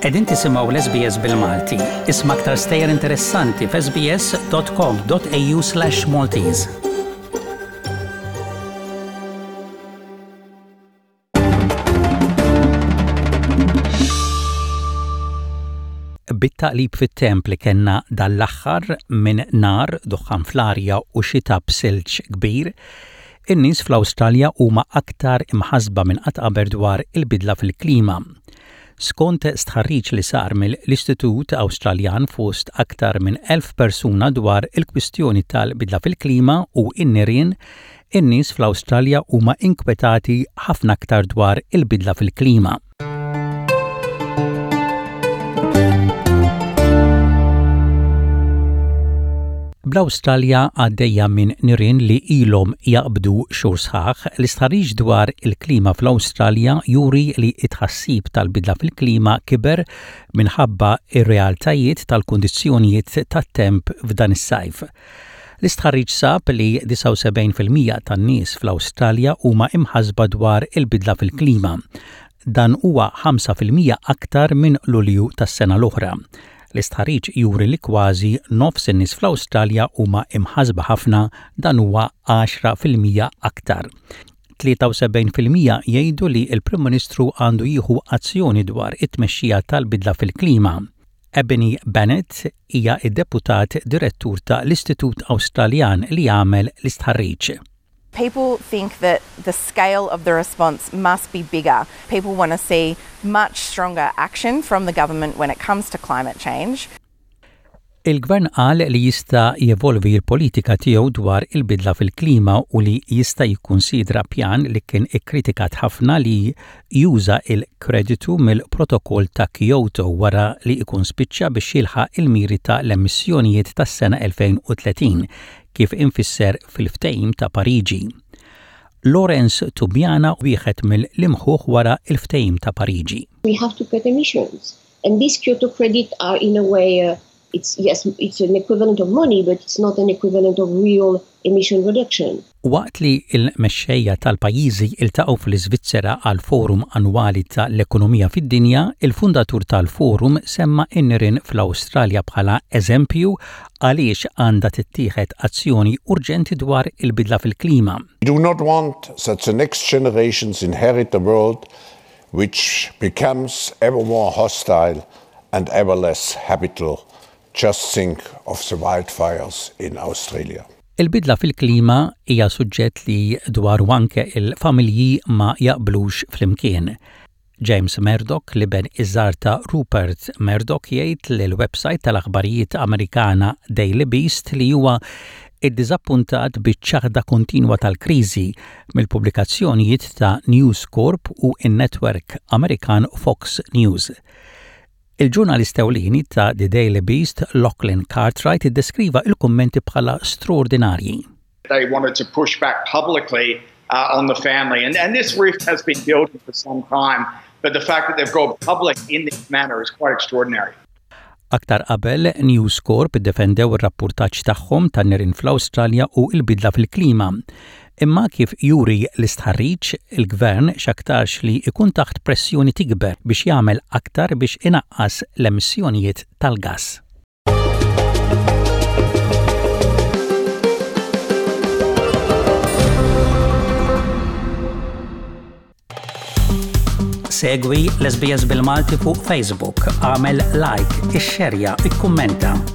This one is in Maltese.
Qegħdin tisimgħu l-SBS bil-Malti. Isma' aktar stejjer interessanti f'sbs.com.au/Maltese. Bit-taqlib fit-temp li kellna dan l-aħħar minn nar, duħħan fl-arja u xita b'silġ kbir, in-nies fl-Awstralja huma aktar imħassba minn qatt qabel dwar il-bidla fil-klima. Skont stħarriġ li sar mill-Istitut Awstraljan fost aktar minn 1,000 persuna dwar il-kwistjoni tal-bidla fil-klima u n-nirien, In-nies fl-Awstralja huma inkwetati ħafna aktar dwar il-bidla fil-klima. Bl-Awstralja għaddejja minn nirien li ilhom jaqbdu xhur sħaħ, l-istħarriġ dwar il-klima fl-Awstralja juri li t-tħassib tal-bidla fil-klima kiber minħabba r-realtajiet tal-kundizzjonijiet tat-temp f'dan is-sajf. L-istħarriġ sab li 79 fil-mija tan-nies fl-Awstralja huma imħassba dwar il-bidla fil-klima. Dan huwa 5 fil-mija aktar minn Lulju tas-sena l-oħra. L-istħarriġ juri li kważi nofs in-nies fl-Awstralja huma imħassba ħafna, dan huwa 10 fil-mija aktar. 73% jgħidu li l-Prim Ministru għandu jieħu azzjoni dwar it-tmexxija tal-bidla fil-klima. Ebony Bennett hija id-deputat direttur ta' l-Istitut Awstraljan li jagħmel l-istħarriġ. People think that the scale of the response must be bigger. People want to see much stronger action from the government when it comes to climate change. Il-gvern qal li jista' jevolvi l-politika tiegħu dwar il-bidla fil-klima u li jista' jikkunsidra pjan li kien ikkritikat ħafna li juża il-kreditu mill-protokoll ta' Kyoto wara li jkun spiċċa biex jilħaq il-miri ta' l-emissjonijiet tas-sena 2030 kif infisser fil-ftehim ta' Pariġi. Lawrence Tubiana wieħed mill-imħuħ wara il-ftehim ta' Pariġi. We have to cut emissions. And these Kyoto credit are in a way, it's yes, it's an equivalent of money, but it's not an equivalent of real emission reduction. Waqt li l-mexxejja tal-pajjiżi iltaqgħu fl-Iżvizzera għal forum annwali tal-ekonomija fid-dinja, il-fundatur tal-forum semma n-nirien fl-Awstralja bħala eżempju għaliex għandha tittieħed azzjoni urġenti dwar il-bidla fil-klima. We do not want that the next generations inherit a world which becomes ever more hostile and ever less habitable. Just think of the wildfires in Australia. Il-bidla fil-klima hija suġġett li dwar anke il-familji ma jaqblux flimkien. James Murdoch, l-iben iż-żgħar ta' Rupert Murdoch jgħid lill-website tal-aħbarijiet Amerikana Daily Beast li huwa iddiżappuntat biċ-ċaħda kontinwa tal-kriżi mill-pubblikazzjonijiet ta' News Corp u n-network Amerikan Fox News. Il-ġurnalist ewlieni ta' The Daily Beast, Lachlan Cartwright, iddeskriva il-kummenti bħala straordinarji. They wanted to push back publicly on the family. And this rift has been building for some time, but the fact that they've gone public in this manner is quite extraordinary. Aktar qabel, News Corp iddefendew ir-rapportaġġ tagħhom tan-nirien fl-Awstralja u l-bidla fil-klima. Imma kif juri l-istħarriġ, il-gvern x'aktarx li ikun taħt pressjoni tikber biex jagħmel aktar biex inaqqas l-emissjonijiet tal-gass. Segwi l-SBS bil-Malti fuq Facebook, għamel like, ixxerja, ikkummenta.